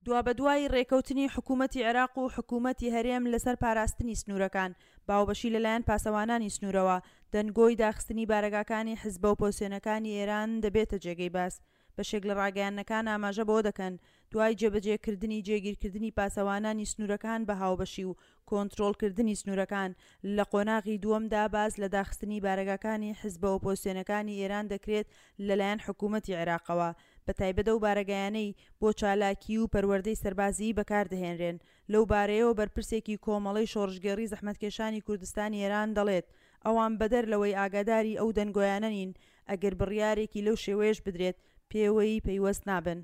دوابەدوای رێکەوتنی حکوومەتی عێراق و حکوومەتی هەرێم لەسەر پاراستنی سنوورەکان باوبەشی لەلایەن پاسەوانانی سنوورەوە، دەنگۆی داخستنی بارەگاکانی حزبە ئۆپۆزسیۆنەکانی ئێران دەبێتە جێگەی باس. بەشێک لە ڕاگەیاندنەکان ئاماژە بەوە دەکەن، دوای جێبەجێکردنی جێگیرکردنی پاسەوانانی سنوورەکان بە هاوبەشی و کۆنترۆڵکردنی سنوورەکان، لە قۆناغی دووەمدا باس لە داخستنی بارەگاکانی حزبە ئۆپۆزسیۆنەکانی ئێران دەکرێت لەلایەن حکوومەتی عێراقەوە، بەتایبەت ئەو بارەگایانەی بۆ چالاکیی و پەروەردەی سەربازیی بەکاردەهێنرێن. لەو بارەیەوە بەرپرسێکی کۆمەڵەی شۆڕشگێڕی زەحمەتکێشانی کوردستانی ئێران دەڵێت، ئەوان بەدەر لەوەی ئاگاداری ئەو دەنگۆیانە نین، ئەگەر بڕیارێکی لەو شێوەیەش بدرێت، پێوەی پەیوەست نابن.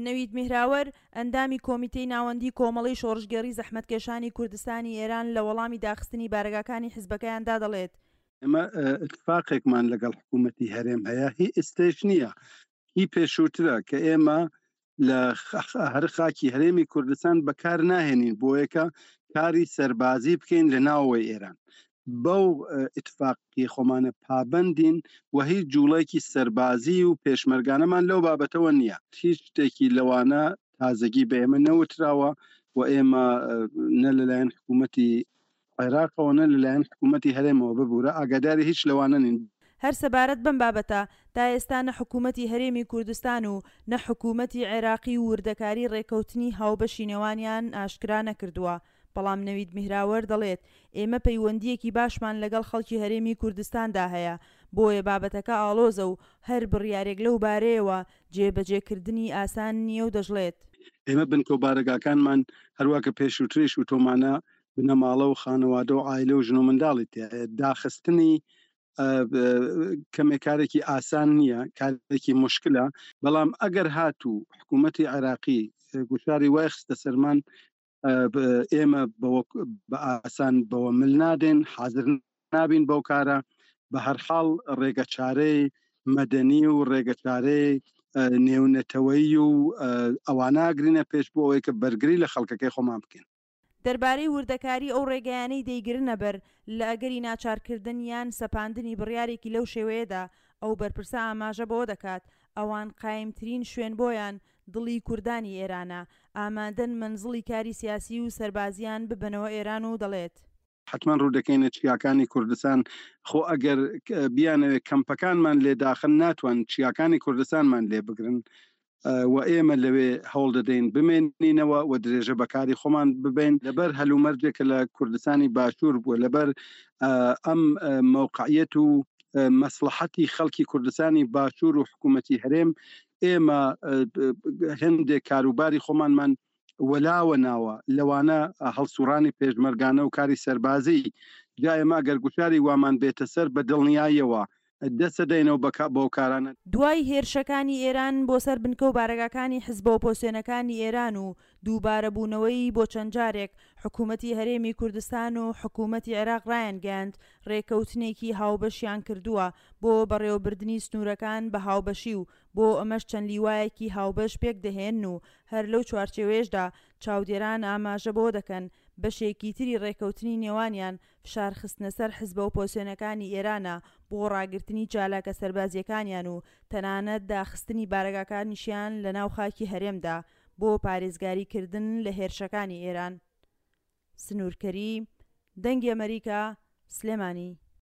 نەوید میهراوەر، ئەندامی کۆمیتەی ناوەندیی کۆمەڵەی شۆڕشگێڕی زەحمەتکێشانی کوردستانی ئێران لە وەڵامی داخستنی بارەگاکانی حزبەکەیاندا دەڵێت، ئێمە ئیتفاقێکمان لەگەڵ حکوومەتی هەرێم هەیە، هی ئێستەیش نییە، هی پێشووترە کە ئێمە لە هەر خاکی هەرێمی کوردستان بەکار ناهێنین بۆیەکە کاری سەربازی بکەین لە ناوەوەی ئێران بەو ئیتفاقی خۆمانە پابندین و هیچ جوڵێکی سەربازی و پێشمەرگانەمان لەو بابەتەوە نییە هیچ شتێکی لەوانە تازەگی بە ئێمە نەوتراوە و ئێمە نە لەلایەن حکوومەتی عێراقەوە نە لەلایەن حکوومەتی هەرێمەوە ببوورە ئاگاداری هیچ لەوانە نین. هەر سەبارەت بەم بابەتە، تا ئێستا نە حکوومەتی هەرێمی کوردستان و نە حکوومەتی عێراقی وردەکاری ڕێککەوتنی هاوبەشی نێوانیان ئاشکرا نەکردووە، بەڵام نەوید میهراوەر دەڵێت، ئێمە پەیوەندییەکی باشمان لەگەڵ خەڵکی هەرێمی کوردستاندا هەیە، بۆیە بابەتەکە ئاڵۆزە و هەر بڕیارێک لەو بارەیەوە جێبەجێکردنی ئاسان نییە و دەشڵێت. ئێمە بنکە و بارەگاکانمان هەروا کە پێشووتریش وتوومانە بنەماڵە و خانەوادە و عایلە و ژن و منداڵی تیایە داخستنی کەمێک کارێکی ئاسان نییە کارێکی مشکلە بەڵام ئەگەر هاتوو حکوومەتی عێراقی گوشاری وای خستە سەرمان ئێمە بە ئاسان بەوە مل نادێن حاضر نابین بەو کارە بە هەرحاڵ ڕێگە چارەی مەدەنی و ڕێگەچارەی نێونەتەوەیی و ئەواناگرینە پێش بۆ ئەوەی کە بەرگری لە خەڵکەکەی خۆمان بکەین. دەربارەی وردەکاری ئەو ڕێگایانەی دەیگرنەبەر لە ئەگەری ناچارکردن یان سەپاندنی بڕیارێکی لەو شێوەیەدا، ئەو بەرپرسە ئاماژە بەوە دەکات، ئەوان قایمترین شوێن بۆیان دڵی کوردانی ئێرانە، ئامادەن مەنزڵی کاری سیاسی و سەربازییان ببەنەوە ئێران و دەڵێت. حەتمەن ڕوودەکەینە چیاکانی کوردستان، خۆ ئەگەر بیانەوێت کەمپەکانمان لێ داخن ناتوان چیاکانی کوردستانمان لێ بگرن و ئێمە لەوێ هەوڵ دەدەین بمێنینەوە و درێژە بەکاری خۆمان ببین لەبەر هەلومەرجێک کە لە کوردستانی باشوور بووە لەبەر ئەم مەوقعیەت و مەسڵەحەتی خەڵکی کوردستانی باشوور و حکوومەتی هەرێم ئێمە هەندێک کاروباری خۆمانمان وەلاوە ناوە، لەوانە هەڵسوڕانی پێشمەرگانە و کاری سەربازی، جا ئێمە ئەگەر گوشاری وامان بێتە سەر بە دڵنیاییەوە دەست دەدەینەوە بەو کارانە. دوای هێرشەکانی ئێران بۆ سەر بنکە و بارەگاکانی حزبە ئۆپۆزسیۆنەکانی ئێران و دووبارەبوونەوەی بۆ چەند جارێک، حکوومەتی هەرێمی کوردستان و حکوومەتی عێراق ڕایانگەیاند ڕێککەوتنێکی هاوبەشیان کردووە بۆ بەڕێوەبردنی سنوورەکان بە هاوبەشی و بۆ ئەمەش چەند لیوایەکی هاوبەش پێکدەهێنن و هەر لەو چوارچێوەیەشدا چاودێران ئاماژە بەوە دەکەن بەشێکی تری ڕێکەوتنی نێوانیان فشار خستنە سەر حزبە ئۆپۆزسیۆنەکانی ئێرانە بۆ ڕاگرتنی چالاکە سەربازییەکانیان و تەنانەت داخستنی بارەگاکانیشیان لە ناو خاکی هەرێمدا بۆ پارێزگاری کردن لە هێرشەکانی ئێران. سنوور کەریم، دەنگی ئەمەریکا، سلێمانی.